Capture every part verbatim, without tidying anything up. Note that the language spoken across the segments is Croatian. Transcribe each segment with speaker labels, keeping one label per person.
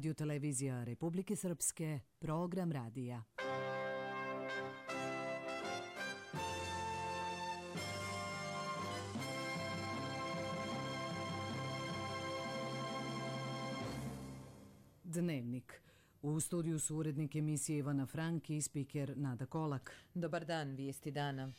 Speaker 1: Radio televizija Republike Srpske, program radija. Dnevnik. U studiju su urednik emisije Ivana Frank i spiker Nada Kolak.
Speaker 2: Dobar dan, vijesti dana.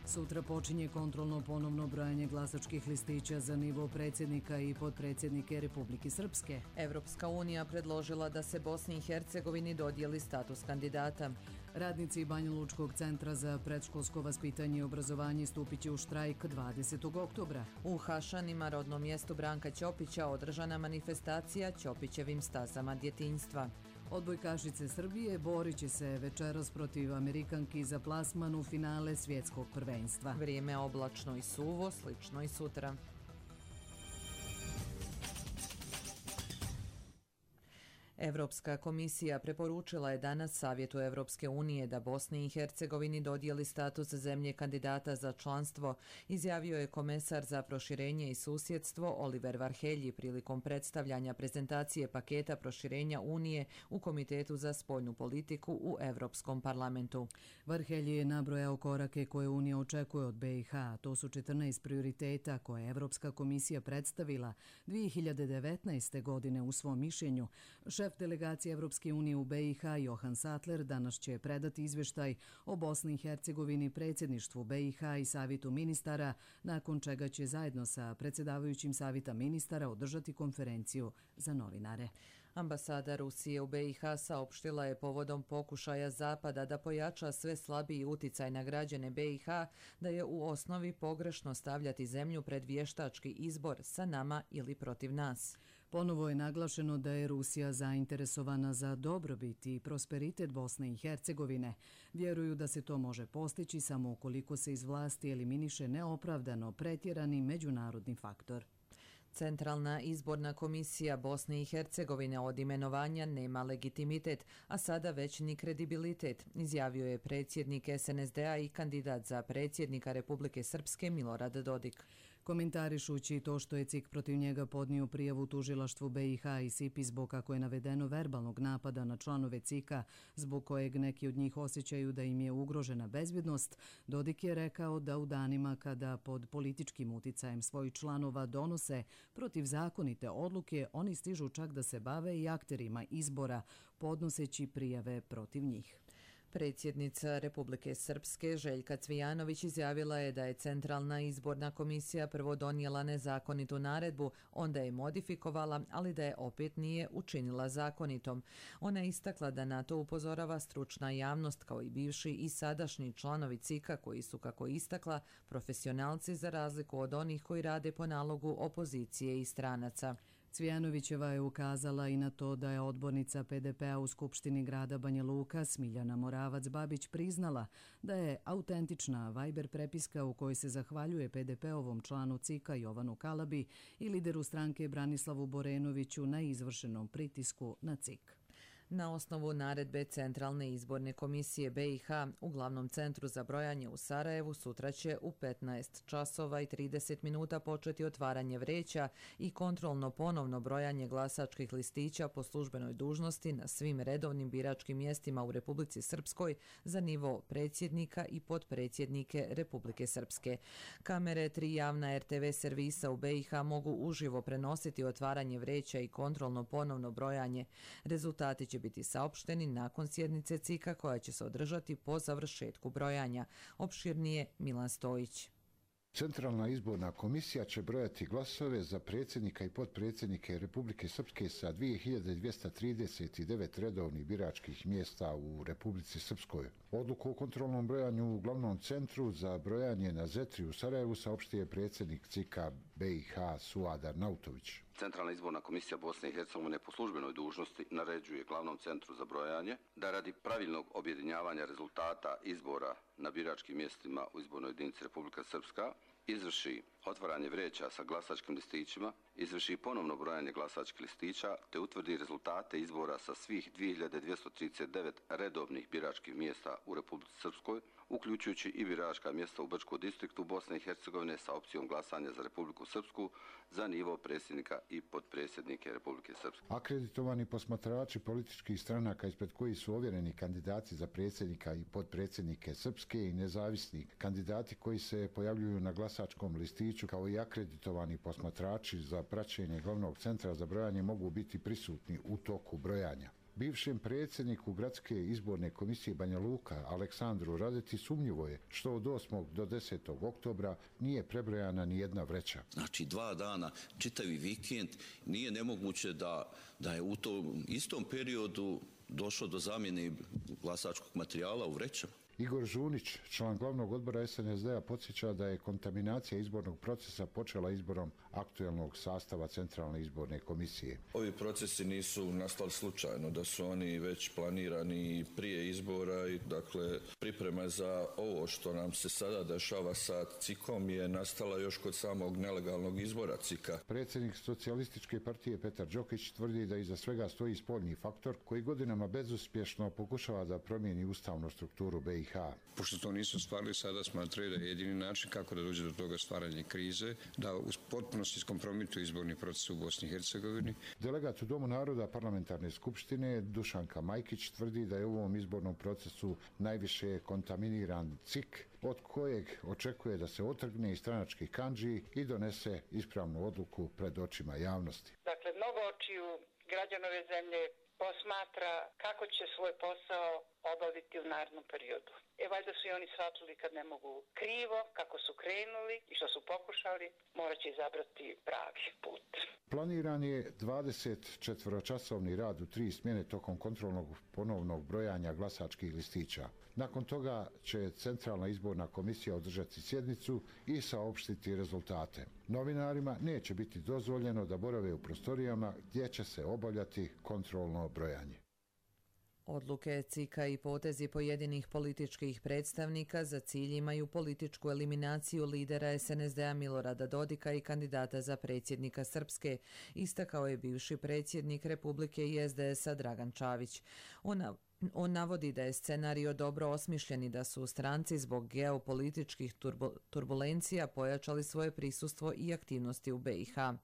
Speaker 1: Sutra počinje kontrolno ponovno brojanje glasačkih listića za nivo predsjednika i potpredsjednike Republike Srpske.
Speaker 2: Evropska unija predložila da se Bosni i Hercegovini dodijeli status kandidata.
Speaker 1: Radnici Banja Lučkog centra za predškolsko vaspitanje i obrazovanje stupit će u štrajk dvadesetog oktobra.
Speaker 2: U Hašanima, rodnom mjestu Branka Ćopića, održana manifestacija Ćopićevim stazama djetinjstva.
Speaker 1: Odbojkašice Srbije borit će se večeras protiv Amerikanki za plasman u finale svjetskog prvenstva.
Speaker 2: Vrijeme oblačno i suvo, slično i sutra. Evropska komisija preporučila je danas Savjetu Evropske unije da Bosni i Hercegovini dodijeli status zemlje kandidata za članstvo, izjavio je komesar za proširenje i susjedstvo Oliver Varhelji prilikom predstavljanja prezentacije paketa proširenja Unije u Komitetu za spoljnu politiku u Evropskom parlamentu.
Speaker 1: Varhelji je nabrojao korake koje Unija očekuje od be i ha. To su četrnaest prioriteta koje je Evropska komisija predstavila dvije hiljade devetnaeste. godine u svom mišljenju. Šef delegacije Evropske unije u be i ha Johan Sattler danas će predati izvještaj o Bosni i Hercegovini predsjedništvu be i ha i Savjetu ministara, nakon čega će zajedno sa predsjedavajućim Savjeta ministara održati konferenciju za novinare.
Speaker 2: Ambasada Rusije u be i ha saopštila je povodom pokušaja Zapada da pojača sve slabiji uticaj na građane be i ha da je u osnovi pogrešno stavljati zemlju pred vještački izbor sa nama ili protiv nas.
Speaker 1: Ponovo je naglašeno da je Rusija zainteresovana za dobrobit i prosperitet Bosne i Hercegovine. Vjeruju da se to može postići samo ukoliko se iz vlasti eliminiše neopravdano pretjerani međunarodni faktor.
Speaker 2: Centralna izborna komisija Bosne i Hercegovine od imenovanja nema legitimitet, a sada već ni kredibilitet, izjavio je predsjednik es en es de a i kandidat za predsjednika Republike Srpske Milorad Dodik.
Speaker 1: Komentarišući to što je ce i ka protiv njega podnio prijavu tužilaštvu be i ha i sipi zbog, kako je navedeno, verbalnog napada na članove ce i ka, zbog kojeg neki od njih osjećaju da im je ugrožena bezbjednost, Dodik je rekao da u danima kada pod političkim uticajem svojih članova donose protivzakonite odluke, oni stižu čak da se bave i akterima izbora, podnoseći prijave protiv njih.
Speaker 2: Predsjednica Republike Srpske Željka Cvijanović izjavila je da je Centralna izborna komisija prvo donijela nezakonitu naredbu, onda je modifikovala, ali da je opet nije učinila zakonitom. Ona je istakla da na to upozorava stručna javnost kao i bivši i sadašnji članovi ce i ka koji su, kako istakla, profesionalci za razliku od onih koji rade po nalogu opozicije i stranaca.
Speaker 1: Cvijanovićeva je ukazala i na to da je odbornica pe de pe a u Skupštini grada Banja Luka Smiljana Moravac-Babić priznala da je autentična Viber prepiska u kojoj se zahvaljuje pe de pe ovom članu ce i ka Jovanu Kalabi i lideru stranke Branislavu Borenoviću na izvršenom pritisku na ce i ka.
Speaker 2: Na osnovu naredbe Centralne izborne komisije be i ha u glavnom centru za brojanje u Sarajevu sutra će u petnaest časova i trideset minuta početi otvaranje vreća i kontrolno ponovno brojanje glasačkih listića po službenoj dužnosti na svim redovnim biračkim mjestima u Republici Srpskoj za nivo predsjednika i potpredsjednike Republike Srpske. Kamere tri javna er te ve servisa u be i ha mogu uživo prenositi otvaranje vreća i kontrolno ponovno brojanje. Rezultati će biti saopšteni nakon sjednice ce i ka koja će se održati po završetku brojanja. Opširnije Milan Stojić.
Speaker 3: Centralna izborna komisija će brojati glasove za predsjednika i potpredsjednike Republike Srpske sa dvije hiljade dvjesto trideset devet redovnih biračkih mjesta u Republici Srpskoj. Odluku o kontrolnom brojanju u glavnom centru za brojanje na Zetri u Sarajevu saopštio je predsjednik ce i ka be i ha Suad Arnautović.
Speaker 4: Centralna izborna komisija Bosne i Hercegovine po službenoj dužnosti naređuje glavnom centru za brojanje da radi pravilnog objedinjavanja rezultata izbora na biračkim mjestima u izbornoj jedinici Republika Srpska izvrši otvaranje vreća sa glasačkim listićima, izvrši ponovno brojanje glasačkih listića te utvrdi rezultate izbora sa svih dvije hiljade dvjesto trideset devet redovnih biračkih mjesta u Republici Srpskoj, uključujući i biračka mjesta u Brčkom distriktu Bosne i Hercegovine sa opcijom glasanja za Republiku Srpsku za nivo predsjednika i potpredsjednike Republike Srpske.
Speaker 3: Akreditovani posmatrači političkih stranaka ispred koji su ovjereni kandidati za predsjednika i potpredsjednike Srpske i nezavisni kandidati koji se pojavljuju na glasačkom listiću, kao i akreditovani posmatrači za praćenje glavnog centra za brojanje mogu biti prisutni u toku brojanja. Bivšem predsjedniku Gradske izborne komisije Banja Luka, Aleksandru Radeti, sumnjivo je što od osmog do desetog oktobra nije prebrojana ni jedna vreća.
Speaker 5: Znači dva dana, čitavi vikend, nije nemoguće da, da je u tom istom periodu došlo do zamjene glasačkog materijala u vrećama.
Speaker 3: Igor Žunić, član glavnog odbora S N S D-a, podsjeća da je kontaminacija izbornog procesa počela izborom aktuelnog sastava Centralne izborne komisije.
Speaker 6: Ovi procesi nisu nastali slučajno, da su oni već planirani prije izbora i dakle priprema za ovo što nam se sada dešava sa C I K-om je nastala još kod samog nelegalnog izbora C I K-a.
Speaker 3: Predsjednik Socijalističke partije Petar Đokić tvrdi da iza svega stoji spoljni faktor koji godinama bezuspješno pokušava da promijeni ustavnu strukturu B i H.
Speaker 7: Pošto to nisu stvarili, sada smatraju da je jedini način kako da dođe do toga stvaranja krize, da u potpunosti iskompromituju izborni proces u Bosni i Hercegovini.
Speaker 3: Delegat u Domu naroda Parlamentarne skupštine Dušanka Majkić tvrdi da je u ovom izbornom procesu najviše kontaminiran C I K, od kojeg očekuje da se otrgne iz stranačkih kandži i donese ispravnu odluku pred očima javnosti.
Speaker 8: Dakle, mnogo očiju građanove zemlje posmatra kako će svoj posao obaviti u narednom periodu. E, valjda su i oni shvatili kad ne mogu krivo, kako su krenuli i što su pokušali, morat će izabrati pravi put.
Speaker 3: Planiran je dvadesetčetvoročasovni rad u tri smjene tokom kontrolnog ponovnog brojanja glasačkih listića. Nakon toga će Centralna izborna komisija održati sjednicu i saopštiti rezultate. Novinarima neće biti dozvoljeno da borave u prostorijama gdje će se obavljati kontrolno brojanje.
Speaker 2: Odluke C I K-a i potezi pojedinih političkih predstavnika za cilj imaju političku eliminaciju lidera S N S D-a Milorada Dodika i kandidata za predsjednika Srpske, istakao je bivši predsjednik Republike i S D S-a Dragan Čavić. Ona On navodi da je scenario dobro osmišljen i da su stranci zbog geopolitičkih turbo, turbulencija pojačali svoje prisustvo i aktivnosti u B i H.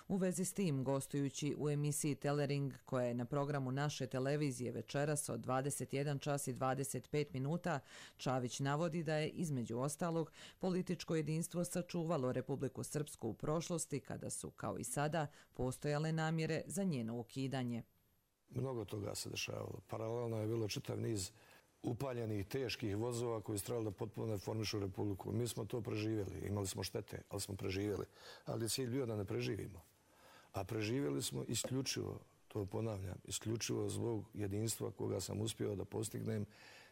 Speaker 2: U vezi s tim, gostujući u emisiji Telering, koja je na programu naše televizije večeras od dvadeset jedan čas i dvadeset pet minuta, Čavić navodi da je, između ostalog, političko jedinstvo sačuvalo Republiku Srpsku u prošlosti kada su, kao i sada, postojale namjere za njeno ukidanje.
Speaker 9: Mnogo toga se dešavalo. Paralelno je bilo čitav niz upaljenih, teških vozova koji su trebali da potpuno reformišu Republiku. Mi smo to preživjeli. Imali smo štete, ali smo preživjeli. Ali je cilj bio da ne preživimo. A preživjeli smo isključivo, to ponavljam, isključivo zbog jedinstva koga sam uspio da postignem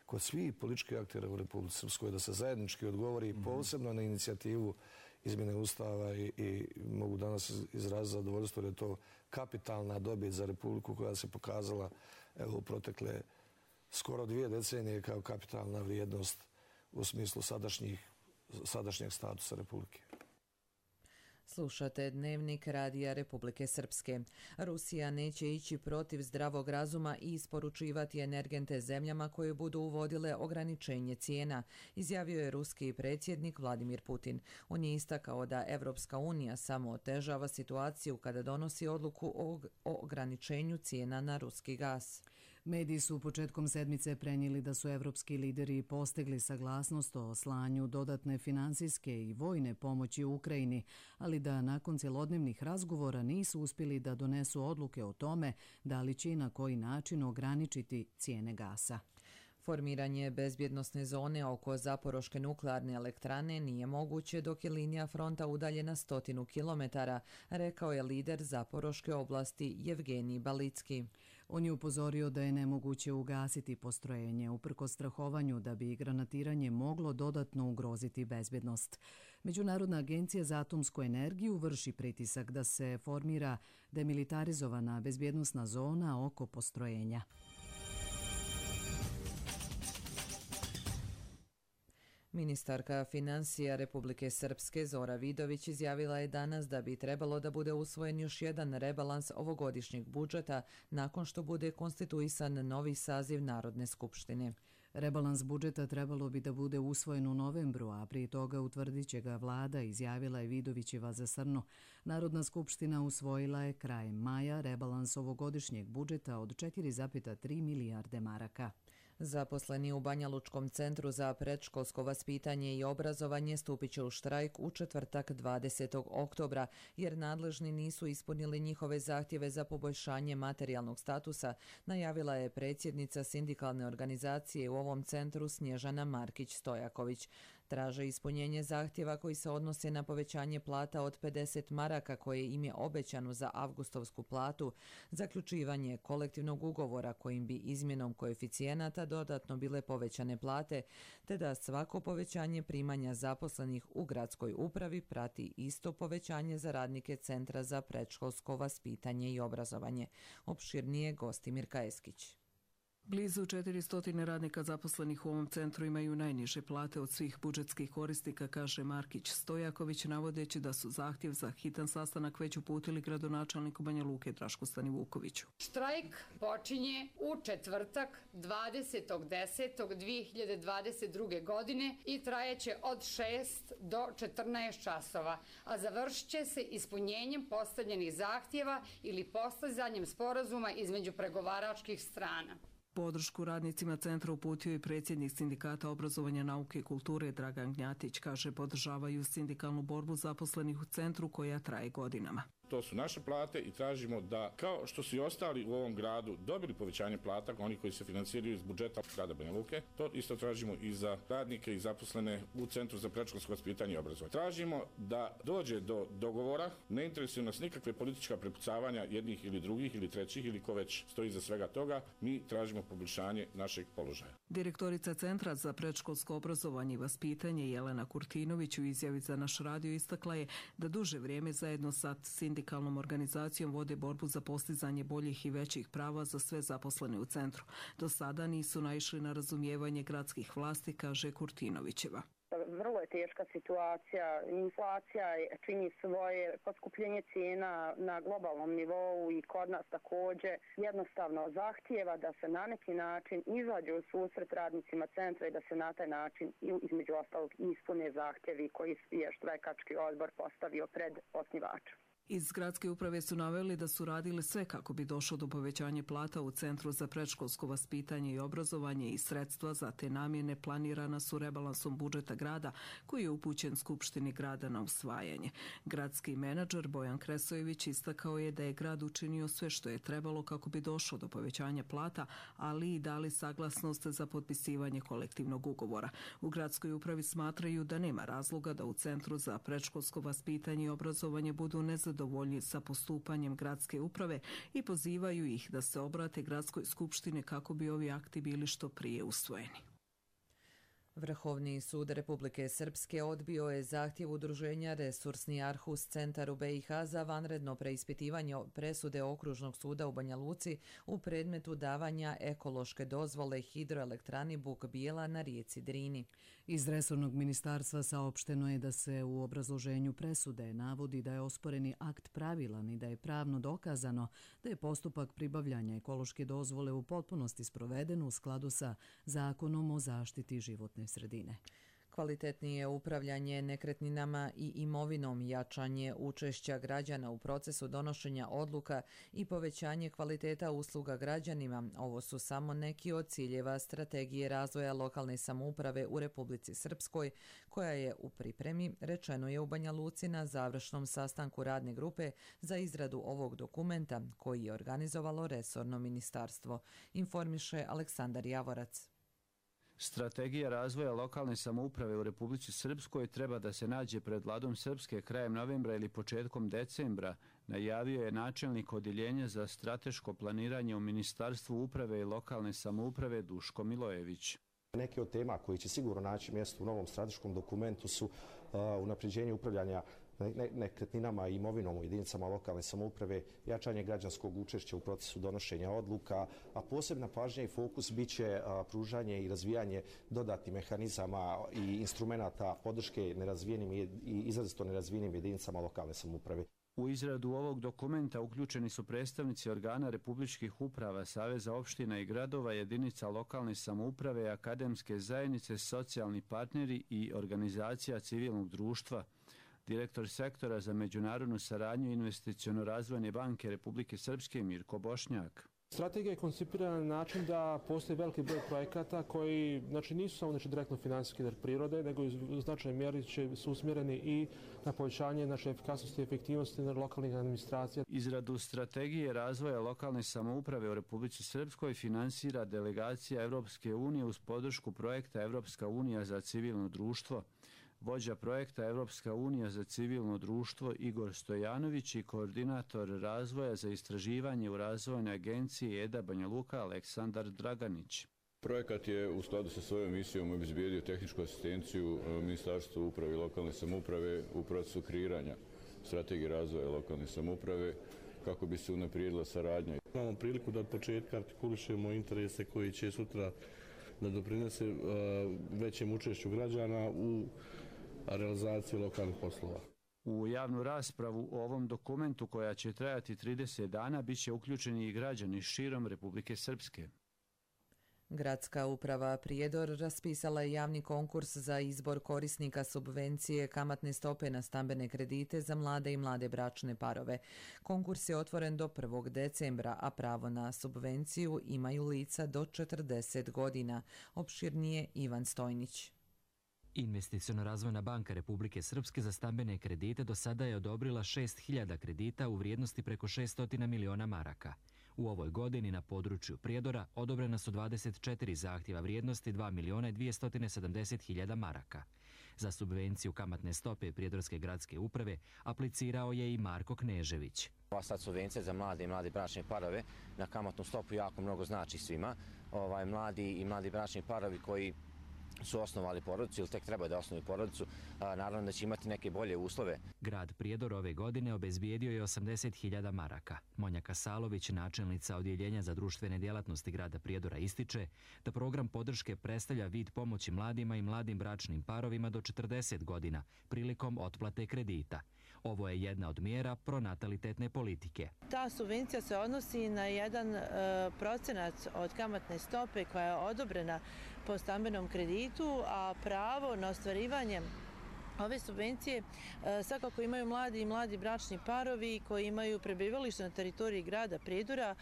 Speaker 9: kod svih političkih aktera u Republici Srpskoj, da se zajednički odgovori mm-hmm. posebno na inicijativu izmjene Ustava i, i mogu danas izraziti zadovoljstvo da je to kapitalna dobit za Republiku koja se pokazala evo, u protekle skoro dvije decenije kao kapitalna vrijednost u smislu sadašnjih, sadašnjeg statusa Republike.
Speaker 2: Slušate Dnevnik Radija Republike Srpske. Rusija neće ići protiv zdravog razuma i isporučivati energente zemljama koje budu uvodile ograničenje cijena, izjavio je ruski predsjednik Vladimir Putin. On je istakao da Evropska unija samo otežava situaciju kada donosi odluku o ograničenju cijena na ruski gas.
Speaker 1: Mediji su početkom sedmice prenijeli da su evropski lideri postigli saglasnost o slanju dodatne finansijske i vojne pomoći u Ukrajini, ali da nakon cjelodnevnih razgovora nisu uspjeli da donesu odluke o tome da li će i na koji način ograničiti cijene gasa.
Speaker 2: Formiranje bezbjednosne zone oko Zaporoške nuklearne elektrane nije moguće dok je linija fronta udaljena stotinu kilometara, rekao je lider Zaporoške oblasti Jevgenij Balicki.
Speaker 1: On je upozorio da je nemoguće ugasiti postrojenje uprkos strahovanju da bi granatiranje moglo dodatno ugroziti bezbjednost. Međunarodna agencija za atomsku energiju vrši pritisak da se formira demilitarizovana bezbjednosna zona oko postrojenja.
Speaker 2: Ministarka financija Republike Srpske Zora Vidović izjavila je danas da bi trebalo da bude usvojen još jedan rebalans ovogodišnjeg budžeta nakon što bude konstituisan novi saziv Narodne skupštine.
Speaker 1: Rebalans budžeta trebalo bi da bude usvojen u novembru, a prije toga utvrdit će ga vlada, izjavila je Vidovićeva za Srno. Narodna skupština usvojila je krajem maja rebalans ovogodišnjeg budžeta od četiri zarez tri milijarde maraka.
Speaker 2: Zaposleni u Banja Lučkom centru za predškolsko vaspitanje i obrazovanje stupit će u štrajk u četvrtak dvadesetog oktobra, jer nadležni nisu ispunili njihove zahtjeve za poboljšanje materijalnog statusa, najavila je predsjednica sindikalne organizacije u ovom centru Snježana Markić-Stojaković. Traže ispunjenje zahtjeva koji se odnose na povećanje plata od pedeset maraka koje im je obećano za avgustovsku platu, zaključivanje kolektivnog ugovora kojim bi izmjenom koeficijenata dodatno bile povećane plate, te da svako povećanje primanja zaposlenih u gradskoj upravi prati isto povećanje za radnike Centra za predškolsko vaspitanje i obrazovanje. Opširnije Gostimir Kajeskić.
Speaker 10: Blizu četiristo radnika zaposlenih u ovom centru imaju najniže plate od svih budžetskih korisnika, kaže Markić Stojaković, navodeći da su zahtjev za hitan sastanak već uputili gradonačelniku Banja Luke Drašku Stanivukoviću.
Speaker 11: Štrajk počinje u četvrtak dvadesetog desetog dve hiljade dvadeset druge. godine i trajeće od šest do četrnaest časova, a završit će se ispunjenjem postavljenih zahtjeva ili postizanjem sporazuma između pregovaračkih strana.
Speaker 10: Podršku radnicima centra uputio i predsjednik Sindikata obrazovanja, nauke i kulture Dragan Gnjatić. Kaže, podržavaju sindikalnu borbu zaposlenih u centru koja traje godinama.
Speaker 12: To su naše plate i tražimo da, kao što su i ostali u ovom gradu dobili povećanje plata, oni koji se financiraju iz budžeta grada Banja Luke, to isto tražimo i za radnike i zaposlene u Centru za predškolsko vaspitanje i obrazovanje. Tražimo da dođe do dogovora, ne interesuju nas nikakve politička prepucavanja jednih ili drugih ili trećih ili ko već stoji za svega toga, mi tražimo poboljšanje našeg položaja.
Speaker 10: Direktorica Centra za predškolsko obrazovanje i vaspitanje Jelena Kurtinović u izjavi za naš radio istakla je da duže vrijeme zajedno sa sindikalnom organizacijom vode borbu za postizanje boljih i većih prava za sve zaposlene u centru. Do sada nisu naišli na razumijevanje gradskih vlasti, kaže Kurtinovićeva.
Speaker 13: Vrlo je teška situacija, inflacija čini svoje, poskupljenje cijena na globalnom nivou i kod nas također jednostavno zahtijeva da se na neki način izađe u susret radnicima centra i da se na taj način između ostalog ispune zahtjevi koji je štrajkački odbor postavio pred osnivačem.
Speaker 10: Iz gradske uprave su naveli da su radili sve kako bi došlo do povećanja plata u Centru za predškolsko vaspitanje i obrazovanje i sredstva za te namjene planirana su rebalansom budžeta grada koji je upućen Skupštini grada na usvajanje. Gradski menadžer Bojan Kresojević istakao je da je grad učinio sve što je trebalo kako bi došlo do povećanja plata, ali i dali saglasnost za potpisivanje kolektivnog ugovora. U gradskoj upravi smatraju da nema razloga da u Centru za predškolsko vaspitanje i obrazovanje budu nezadovoljni dovoljni sa postupanjem gradske uprave i pozivaju ih da se obrate gradskoj skupštini kako bi ovi akti bili što prije usvojeni.
Speaker 2: Vrhovni sud Republike Srpske odbio je zahtjev udruženja Resursni Arhus centar u be i ha za vanredno preispitivanje presude Okružnog suda u Banja Luci u predmetu davanja ekološke dozvole hidroelektrani Buk Bijela na rijeci Drini.
Speaker 1: Iz resornog ministarstva saopšteno je da se u obrazloženju presude navodi da je osporeni akt pravilan i da je pravno dokazano da je postupak pribavljanja ekološke dozvole u potpunosti sproveden u skladu sa Zakonom o zaštiti životne sredine.
Speaker 2: Kvalitetnije upravljanje nekretninama i imovinom, jačanje učešća građana u procesu donošenja odluka i povećanje kvaliteta usluga građanima. Ovo su samo neki od ciljeva strategije razvoja lokalne samouprave u Republici Srpskoj, koja je u pripremi, rečeno je u Banja Luci na završnom sastanku radne grupe za izradu ovog dokumenta koji je organizovalo resorno ministarstvo, informiše Aleksandar Javorac.
Speaker 14: Strategija razvoja lokalne samouprave u Republici Srpskoj treba da se nađe pred Vladom Srpske krajem novembra ili početkom decembra, najavio je načelnik Odjeljenja za strateško planiranje u Ministarstvu uprave i lokalne samouprave Duško Milojević.
Speaker 15: Neke od tema koji će sigurno naći mjesto u novom strateškom dokumentu su uh, unapređenje upravljanja nekretninama i imovinom u jedinicama lokalne samouprave, jačanje građanskog učešća u procesu donošenja odluka, a posebna pažnja i fokus biće pružanje i razvijanje dodatnih mehanizama i instrumenata podrške nerazvijenim i izrazito nerazvijenim jedinicama lokalne samouprave.
Speaker 14: U izradu ovog dokumenta uključeni su predstavnici organa republičkih uprava, Saveza opština i gradova, jedinica lokalne samouprave, akademske zajednice, socijalni partneri i organizacija civilnog društva. Direktor sektora za međunarodnu saradnju Investiciono-razvojne banke Republike Srpske Mirko Bošnjak.
Speaker 16: Strategija je koncipirana na način da postoji veliki broj projekata koji znači, nisu samo znači, direktno finansijske prirode, nego u značajnoj mjeri će, su usmjereni i na povećanje naše efikasnosti i efektivnosti na lokalnih administracija.
Speaker 14: Izradu strategije razvoja lokalne samouprave u Republici Srpskoj finansira delegacija Evropske unije uz podršku projekta Evropska unija za civilno društvo. Vođa projekta Evropska unija za civilno društvo Igor Stojanović i koordinator razvoja za istraživanje u razvojnoj agenciji E D A Banja Luka Aleksandar Draganić.
Speaker 17: Projekat je u skladu sa svojom misijom obezbijedio tehničku asistenciju Ministarstvu uprave i lokalne samouprave u procesu kreiranja strategije razvoja lokalne samouprave kako bi se unaprijedila saradnja.
Speaker 18: Imamo priliku da od početka artikulišemo interese koji će sutra da doprinese većem učešću građana u realizaciji lokalnih poslova.
Speaker 14: U javnu raspravu o ovom dokumentu, koja će trajati trideset dana, bit će uključeni i građani širom Republike Srpske.
Speaker 2: Gradska uprava Prijedor raspisala je javni konkurs za izbor korisnika subvencije kamatne stope na stambene kredite za mlade i mlade bračne parove. Konkurs je otvoren do prvog decembra, a pravo na subvenciju imaju lica do četrdeset godina. Opširnije Ivan Stojnić.
Speaker 19: Investiciono-razvojna banka Republike Srpske za stambene kredite do sada je odobrila šest hiljada kredita u vrijednosti preko šesto miliona maraka. U ovoj godini na području Prijedora odobrena su dvadeset četiri zahtjeva vrijednosti dva miliona dvjesto sedamdeset hiljada maraka. Za subvenciju kamatne stope Prijedorske gradske uprave aplicirao je i Marko Knežević.
Speaker 20: Ova sad subvencija za mlade i mlade bračne parove na kamatnu stopu jako mnogo znači svima. Ovaj, mladi i mladi bračni parovi koji su osnovali porodicu ili tek treba da osnovi porodicu, a, naravno da će imati neke bolje uslove.
Speaker 19: Grad Prijedor ove godine obezbijedio je osamdeset hiljada maraka. Monja Kasalović, načelnica Odjeljenja za društvene djelatnosti grada Prijedora, ističe da program podrške predstavlja vid pomoći mladima i mladim bračnim parovima do četrdeset godina prilikom otplate kredita. Ovo je jedna od mjera pronatalitetne politike.
Speaker 21: Ta subvencija se odnosi na jedan e, procenat od kamatne stope koja je odobrena po stambenom kreditu, a pravo na ostvarivanje ove subvencije e, svakako imaju mladi i mladi bračni parovi koji imaju prebivalište na teritoriji grada Prijedora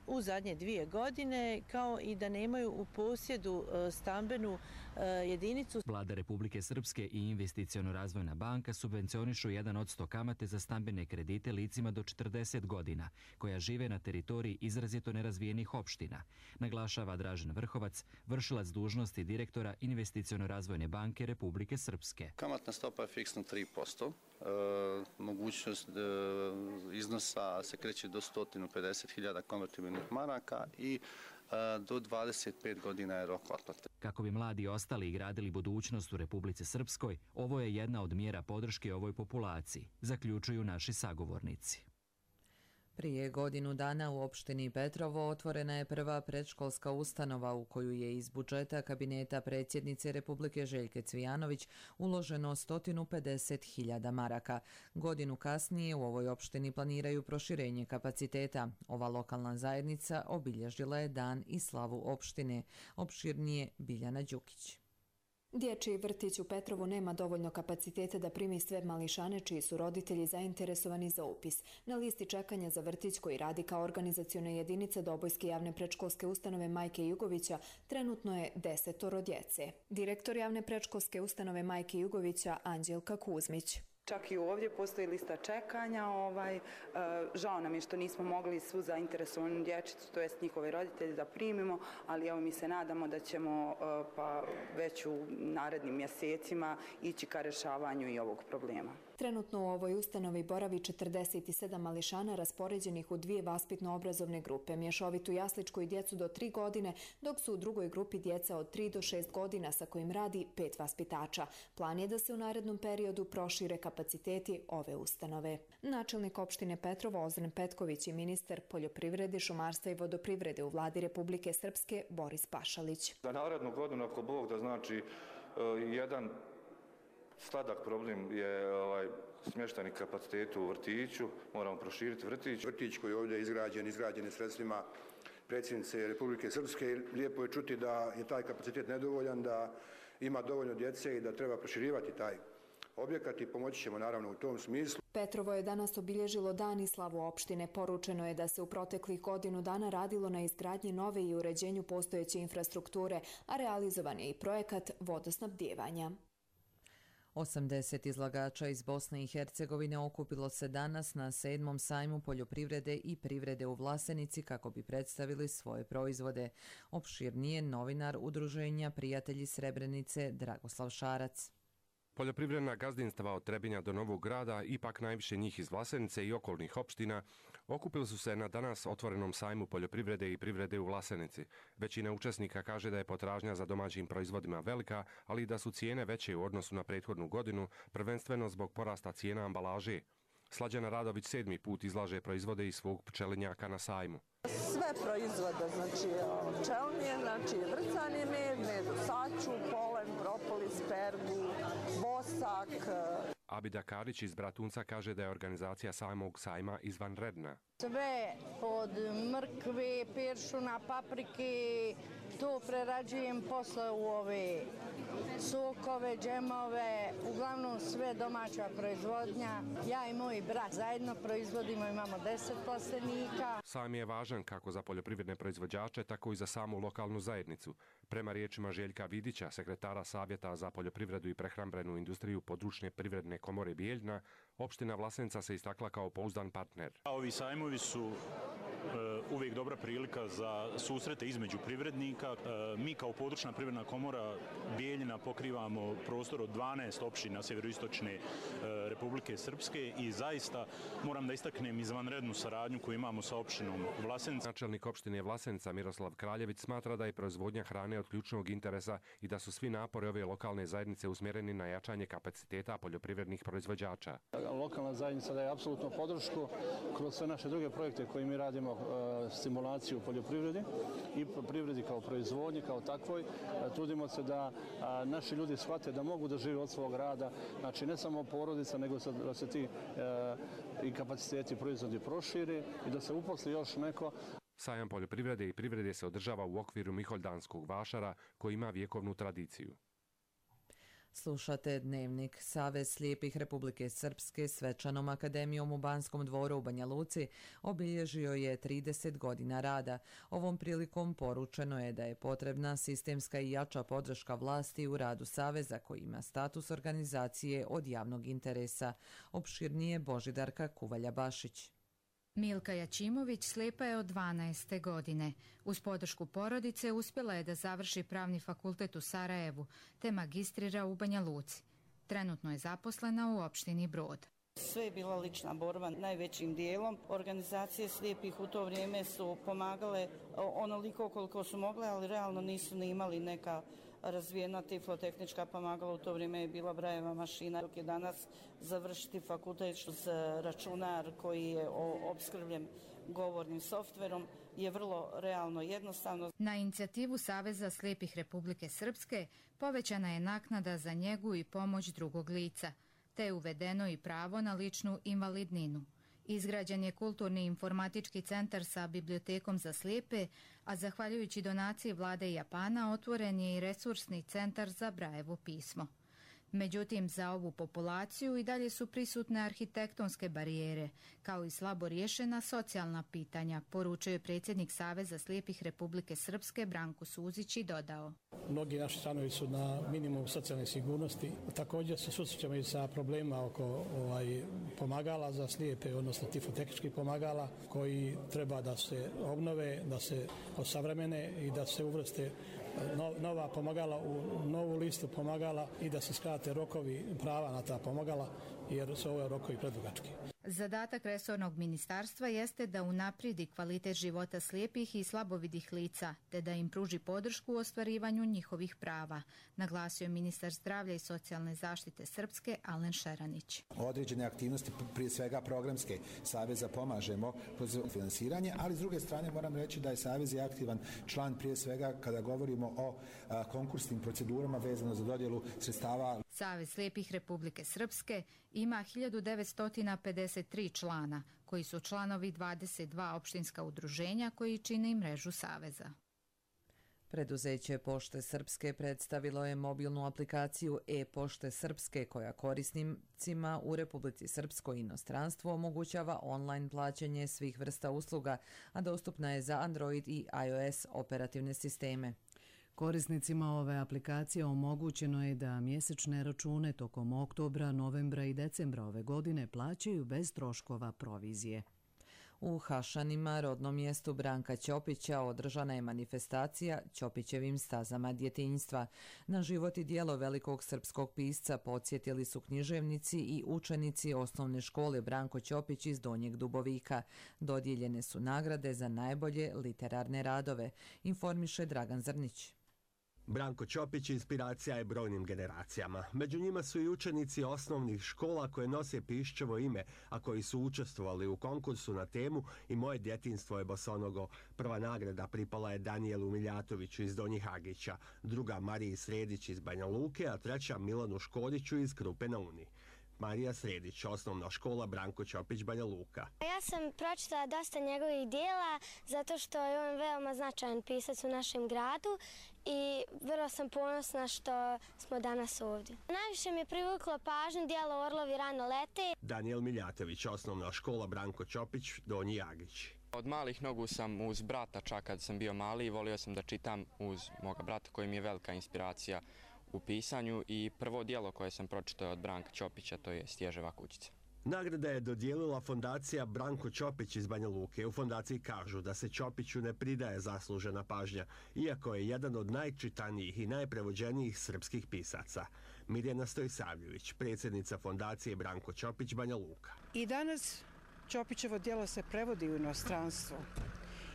Speaker 21: u zadnje dvije godine, kao i da nemaju u posjedu e, stambenu e, jedinicu.
Speaker 19: Vlada Republike Srpske i Investiciono-razvojna banka subvencionišu jedan od sto kamate za stambene kredite licima do četrdeset godina, koja žive na teritoriji izrazito nerazvijenih opština, naglašava Dražen Vrhovac, vršilac dužnosti direktora Investiciono-razvojne banke Republike Srpske.
Speaker 22: Kamatna stopa je fiksna tri posto. E, mogućnost e, iznosa se kreće do sto pedeset hiljada konvertibilnih maraka i e, do dvadeset pet godina je rok otplate.
Speaker 19: Kako bi mladi ostali i gradili budućnost u Republici Srpskoj, ovo je jedna od mjera podrške ovoj populaciji, zaključuju naši sagovornici.
Speaker 2: Prije godinu dana u opštini Petrovo otvorena je prva predškolska ustanova u koju je iz budžeta kabineta predsjednice Republike Željke Cvijanović uloženo sto pedeset hiljada maraka. Godinu kasnije u ovoj opštini planiraju proširenje kapaciteta. Ova lokalna zajednica obilježila je dan i slavu opštine. Opširnije Biljana Đukić.
Speaker 23: Dječji vrtić u Petrovu nema dovoljno kapaciteta da primi sve mališane čiji su roditelji zainteresovani za upis. Na listi čekanja za vrtić koji radi kao organizaciona jedinica Dobojske javne predškolske ustanove Majke Jugovića trenutno je desetoro djece. Direktor javne predškolske ustanove Majke Jugovića Anđelka Kuzmić.
Speaker 24: Čak i ovdje postoji lista čekanja. Ovaj, žao nam je što nismo mogli svu zainteresovanu dječicu, to jest njihove roditelje, da primimo, ali evo mi se nadamo da ćemo pa već u narednim mjesecima ići ka rješavanju i ovog problema.
Speaker 23: Trenutno u ovoj ustanovi boravi četrdeset sedam mališana raspoređenih u dvije vaspitno-obrazovne grupe, mješovitu jasličku i djecu do tri godine, dok su u drugoj grupi djeca od tri do šest godina sa kojim radi pet vaspitača. Plan je da se u narednom periodu prošire kapaciteti ove ustanove. Načelnik opštine Petrovo Ozren Petković i ministar poljoprivrede, šumarstva i vodoprivrede u vladi Republike Srpske Boris Pašalić.
Speaker 25: Za narednu godinu, ako Bog da, znači jedan sladak problem je ovaj,
Speaker 4: smještajni kapaciteti u vrtiću, moramo proširiti vrtić.
Speaker 5: Vrtić koji je ovdje izgrađen, izgrađen je sredstvima predsjednice Republike Srpske. Lijepo je čuti da je taj kapacitet nedovoljan, da ima dovoljno djece i da treba proširivati taj objekat i pomoći ćemo naravno u tom smislu.
Speaker 23: Petrovo je danas obilježilo dan i slavu opštine. Poručeno je da se u proteklih godinu dana radilo na izgradnji nove i uređenju postojeće infrastrukture, a realizovan je i projekat vodosnabdijevanja.
Speaker 2: osamdeset izlagača iz Bosne i Hercegovine okupilo se danas na sedmom sajmu poljoprivrede i privrede u Vlasenici kako bi predstavili svoje proizvode. Opširnije novinar udruženja Prijatelji Srebrenice Dragoslav Šarac.
Speaker 6: Poljoprivredna gazdinstva od Trebinja do Novog Grada, ipak najviše njih iz Vlasenice i okolnih opština, okupili su se na danas otvorenom sajmu poljoprivrede i privrede u Vlasenici. Većina učesnika kaže da je potražnja za domaćim proizvodima velika, ali i da su cijene veće u odnosu na prethodnu godinu, prvenstveno zbog porasta cijena ambalaže. Slađana Radović sedmi put izlaže proizvode iz svog pčelinjaka na sajmu.
Speaker 7: Sve proizvode, znači pčelinje, znači vrcani med, med u saču, polen, propolis, pergu, bosak.
Speaker 6: Abida Karić iz Bratunca kaže da je organizacija samog sajma izvanredna.
Speaker 25: Sve od mrkve, peršuna, paprike, to prerađujem posle u ove sokove, džemove, uglavnom sve domaća proizvodnja. Ja i moj brat zajedno proizvodimo, imamo deset plastenika.
Speaker 6: Sajam je važan kako za poljoprivredne proizvođače, tako i za samu lokalnu zajednicu. Prema riječima Željka Vidića, sekretara Savjeta za poljoprivredu i prehrambenu industriju područne privredne komore Bijeljna, opština Vlasenica se istakla kao pouzdan partner.
Speaker 26: Ovi sajmovi su uvijek dobra prilika za susrete između privrednika. Mi kao područna privredna komora Bijeljina pokrivamo prostor od dvanaest opština sjeveroistočne Republike Srpske i zaista moram da istaknem izvanrednu saradnju koju imamo sa opštinom Vlasenica.
Speaker 6: Načelnik opštine Vlasenica Miroslav Kraljević smatra da je proizvodnja hrane od ključnog interesa i da su svi napori ove lokalne zajednice usmjereni na jačanje kapaciteta poljoprivrednih proizvođača.
Speaker 27: Lokalna zajednica daje apsolutno podršku kroz sve naše druge projekte koje mi radimo, stimulaciju poljoprivredi i privredi kao proizvodnji, kao takvoj. Trudimo se da naši ljudi shvate da mogu da žive od svog rada, znači ne samo porodica, nego da se ti i kapaciteti proizvodi proširi i da se uposli još neko.
Speaker 6: Sajam poljoprivrede i privrede se održava u okviru Miholjdanskog vašara koji ima vjekovnu tradiciju.
Speaker 2: Slušate Dnevnik. Savez slijepih Republike Srpske svečanom akademijom u Banskom dvoru u Banja Luci obilježio je trideset godina rada. Ovom prilikom poručeno je da je potrebna sistemska i jača podrška vlasti u radu Saveza koji ima status organizacije od javnog interesa. Opširnije Božidarka Kuvalja-Bašić.
Speaker 28: Milka Jačimović slijepa je od dvanaeste godine. Uz podršku porodice uspjela je da završi pravni fakultet u Sarajevu te magistrira u Banja Luci. Trenutno je zaposlena u opštini Brod.
Speaker 29: Sve je bila lična borba najvećim dijelom. Organizacije slijepih u to vrijeme su pomagale onoliko koliko su mogle, ali realno nisu ni imali neka razvijena tiflotehnička pomagala. U to vrijeme je bila Brajeva mašina, dok je danas završiti fakultet uz računar koji je opskrbljen govornim softverom je vrlo realno jednostavno.
Speaker 28: Na inicijativu Saveza slijepih Republike Srpske povećana je naknada za njegu i pomoć drugog lica, te je uvedeno i pravo na ličnu invalidninu. Izgrađen je kulturni informatički centar sa bibliotekom za slijepe, a zahvaljujući donaciji vlade Japana otvoren je i resursni centar za Brajevo pismo. Međutim, za ovu populaciju i dalje su prisutne arhitektonske barijere, kao i slabo riješena socijalna pitanja, poručio je predsjednik Saveza slijepih Republike Srpske Branko Suzić i dodao.
Speaker 30: Mnogi naši članovi su na minimum socijalne sigurnosti. Također se susrećemo i sa problema oko ovaj, pomagala za slijepe, odnosno tiflotehničkih pomagala, koji treba da se obnove, da se osavremene i da se uvrste nova pomagala u novu listu pomagala i da se skrate rokovi prava na ta pomagala, jer su ove rokovi predugački.
Speaker 28: Zadatak resornog ministarstva jeste da unaprijedi kvalitet života slijepih i slabovidih lica, te da im pruži podršku u ostvarivanju njihovih prava, naglasio je ministar zdravlja i socijalne zaštite Srpske Alen Šeranić.
Speaker 31: Određene aktivnosti, prije svega programske, Saveza pomažemo kroz finansiranje, ali s druge strane moram reći da je Savez je aktivan član prije svega kada govorimo o a, konkursnim procedurama vezano za dodjelu sredstava.
Speaker 28: Savez slijepih Republike Srpske ima hiljadu devetsto pedeset tri člana, koji su članovi dvadeset dva opštinska udruženja koji čine i mrežu Saveza.
Speaker 2: Preduzeće Pošte Srpske predstavilo je mobilnu aplikaciju e-Pošte Srpske koja korisnicima u Republici Srpskoj i inostranstvu omogućava online plaćanje svih vrsta usluga, a dostupna je za Android i iOS operativne sisteme.
Speaker 1: Korisnicima ove aplikacije omogućeno je da mjesečne račune tokom oktobra, novembra i decembra ove godine plaćaju bez troškova provizije.
Speaker 2: U Hašanima, rodnom mjestu Branka Ćopića, održana je manifestacija Ćopićevim stazama djetinjstva. Na život i djelo velikog srpskog pisca podsjetili su književnici i učenici osnovne škole Branko Ćopić iz Donjeg Dubovika. Dodijeljene su nagrade za najbolje literarne radove, informiše Dragan Zrnić.
Speaker 3: Branko Ćopić inspiracija je brojnim generacijama. Među njima su i učenici osnovnih škola koje nose Piščevo ime, a koji su učestvovali u konkursu na temu I moje djetinjstvo je bosonogo. Prva nagrada pripala je Danijelu Miljatoviću iz Donjih Agića, druga Mariji Sredić iz Banja Luke, a treća Milanu Škoriću iz Krupe na Uni. Marija Sredić, osnovna škola Branko Ćopić, Banja Luka.
Speaker 8: Ja sam pročitala dosta njegovih dijela zato što je on veoma značajan pisac u našem gradu i vrlo sam ponosna što smo danas ovdje. Najviše mi je privuklo pažnju dijelo Orlovi rano lete.
Speaker 3: Danijel Miljatović, osnovna škola Branko Ćopić, Donji Jagić.
Speaker 9: Od malih nogu sam uz brata, čak kad sam bio mali, volio sam da čitam uz moga brata koji mi je velika inspiracija u pisanju i prvo dijelo koje sam pročitao od Branka Ćopića, to je Stježeva kućica.
Speaker 3: Nagrada je dodijelila fondacija Branko Ćopić iz Banja Luke. U fondaciji kažu da se Ćopiću ne pridaje zaslužena pažnja, iako je jedan od najčitanijih i najprevođenijih srpskih pisaca. Mirjana Stojsavljević, predsjednica fondacije Branko Ćopić, Banja Luka.
Speaker 10: I danas Ćopićevo djelo se prevodi u inostranstvo.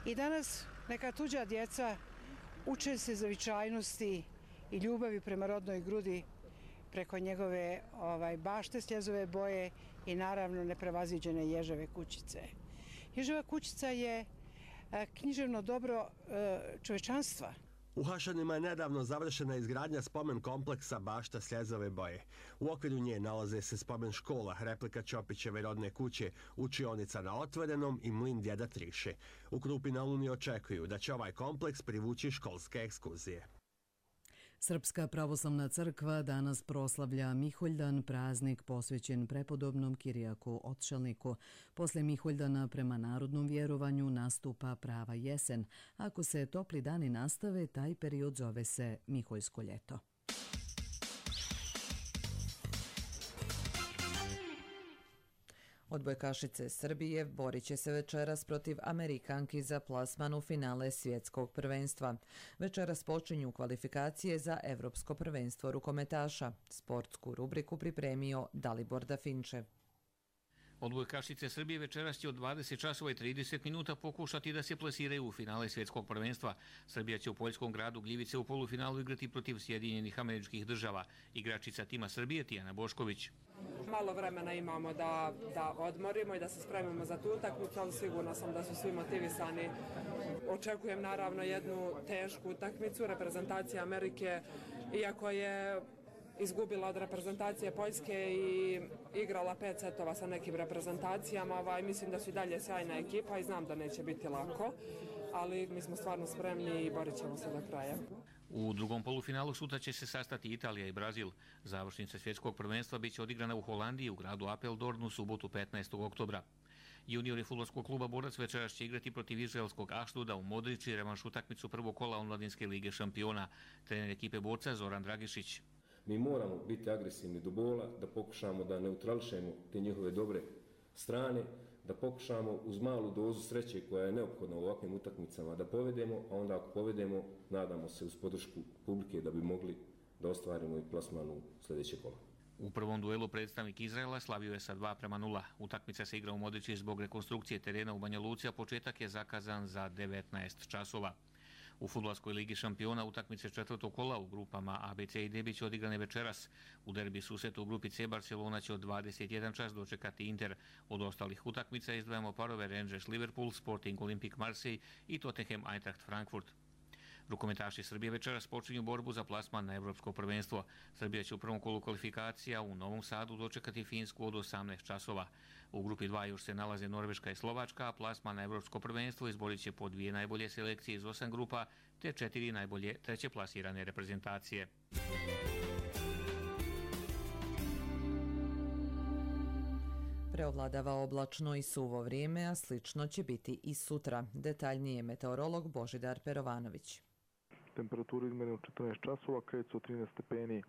Speaker 10: I danas neka tuđa djeca uče se zavičajnosti i ljubavi prema rodnoj grudi preko njegove ovaj, bašte sljezove boje i naravno neprevaziđene Ježeve kućice. Ježeva kućica je a, književno dobro a, čovečanstva.
Speaker 3: U Hašanima je nedavno završena izgradnja spomen kompleksa Bašta Sljezove boje. U okviru nje nalaze se spomen škola, replika Ćopićeve rodne kuće, učionica na otvorenom i mlin djeda Triše. U Krupi na Uni očekuju da će ovaj kompleks privući školske ekskurzije.
Speaker 1: Srpska pravoslavna crkva danas proslavlja Miholjdan, praznik posvećen prepodobnom Kirijaku Otšalniku. Posle Miholjdana prema narodnom vjerovanju nastupa prava jesen. Ako se topli dani nastave, taj period zove se Miholjsko ljeto.
Speaker 2: Odbojkašice Srbije borit će se večeras protiv Amerikanki za plasman u finale svjetskog prvenstva. Večeras počinju kvalifikacije za Evropsko prvenstvo rukometaša. Sportsku rubriku pripremio Dalibor Dafinčev.
Speaker 11: Odbojkašice Srbije večeras će od dvadeset časova i trideset minuta pokušati da se plasiraju u finale svjetskog prvenstva. Srbija će u poljskom gradu Gljivice u polufinalu igrati protiv Sjedinjenih Američkih Država. Igračica tima Srbije Tijana Bošković.
Speaker 12: Malo vremena imamo da, da odmorimo i da se spremimo za tu utakmicu, ali sigurno sam da su svi motivisani. Očekujem naravno jednu tešku utakmicu. Reprezentacija Amerike, iako je izgubila od reprezentacije Poljske i igrala pet setova sa nekim reprezentacijama, ovaj, mislim da su i dalje sjajna ekipa i znam da neće biti lako, ali mi smo stvarno spremni i borit ćemo se do kraja.
Speaker 11: U drugom polufinalu sutra će se sastati Italija i Brazil. Završnica svjetskog prvenstva biće odigrana u Holandiji u gradu Apeldoorn u subotu petnaestog oktobra. Juniori fudbalskog kluba Borac večeras će igrati protiv izraelskog Ašduda u Modriči revanš utakmicu prvog kola Omladinske lige šampiona. Trener ekipe Borca Zoran Dragišić.
Speaker 13: Mi moramo biti agresivni do bola, da pokušamo da neutrališemo te njihove dobre strane, da pokušamo uz malu dozu sreće koja je neophodna u ovakvim utakmicama da povedemo, a onda ako povedemo, nadamo se uz podršku publike da bi mogli da ostvarimo i plasman u sljedeće kola.
Speaker 11: U prvom duelu predstavnik Izraela slavio je sa dva prema nula. Utakmica se igra u Modriči zbog rekonstrukcije terena u Banja Luci, a početak je zakazan za devetnaest časova. U fudbalskoj ligi šampiona utakmice četvrtog kola u grupama A, B, C i D biće odigrane večeras. U derbi susretu u grupi C Barcelona će od dvadeset jedan čas dočekati Inter. Od ostalih utakmica izdvajamo parove Rangers Liverpool, Sporting Olympique Marseille i Tottenham Eintracht Frankfurt. Rukometaši Srbije večeras počinju borbu za plasman na Evropsko prvenstvo. Srbija će u prvom kolu kvalifikacija u Novom Sadu dočekati Finsku od osamnaest časova. U grupi dva još se nalaze Norveška i Slovačka, a plasman na Evropsko prvenstvo izborit će po dvije najbolje selekcije iz osam grupa, te četiri najbolje treće plasirane reprezentacije.
Speaker 2: Preovladava oblačno i suvo vrijeme, a slično će biti i sutra. Detaljnije meteorolog Božidar Perovanović.
Speaker 4: Temperaturu izmerimo četrnaest časova, kreću od trinaest stepeni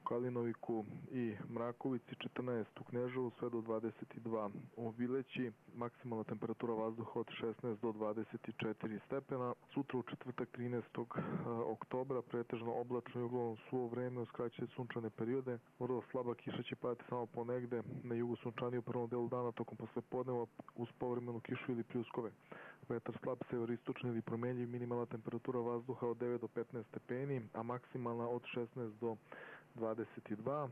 Speaker 4: u Kalinoviku i Mrakovici, četrnaest u Kneževu, sve do dvadeset dva u Bileći, maksimalna temperatura vazduha od šesnaest do dvadeset četiri stepena. Sutra u četvrtak trinaestog oktobra pretežno oblačno i uglavnom suvo vreme uz kraće sunčane periode. Vrlo slaba kiša će padati samo ponegde na jugu sunčanije u prvom delu dana tokom poslepodneva uz povremenu kišu ili pljuskove. Vetar slab severistočni ili promenljiv, minimalna temperatura vazduha od devet do petnaest stepeni, a maksimalna od šesnaest do dvadeset dva.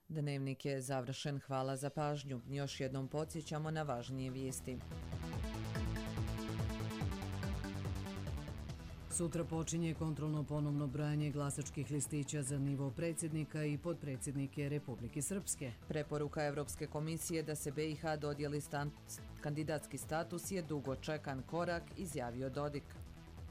Speaker 2: Dnevnik je završen. Hvala za pažnju. Još jednom podsjećamo na važnije vijesti.
Speaker 1: Sutra počinje kontrolno ponovno brojanje glasačkih listića za nivo predsjednika i podpredsjednike Republike Srpske.
Speaker 2: Preporuka Evropske komisije da se B i H dodijeli stan, kandidatski status je dugo čekan korak, izjavio Dodik.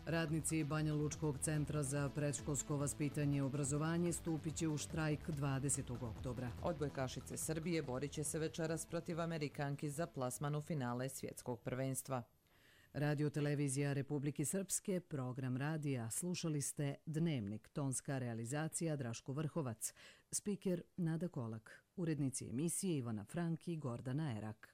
Speaker 1: Radnici Banja Lučkog centra za predškolsko vaspitanje i obrazovanje stupit će u štrajk dvadesetog oktobra.
Speaker 2: Odbojkašice Srbije borit će se večeras protiv Amerikanki za plasman u finale svjetskog prvenstva.
Speaker 1: Radio televizija Republike Srpske, program radija. Slušali ste Dnevnik, tonska realizacija Draško Vrhovac, spiker Nada Kolak, urednici emisije Ivana Frank i Gordana Erak.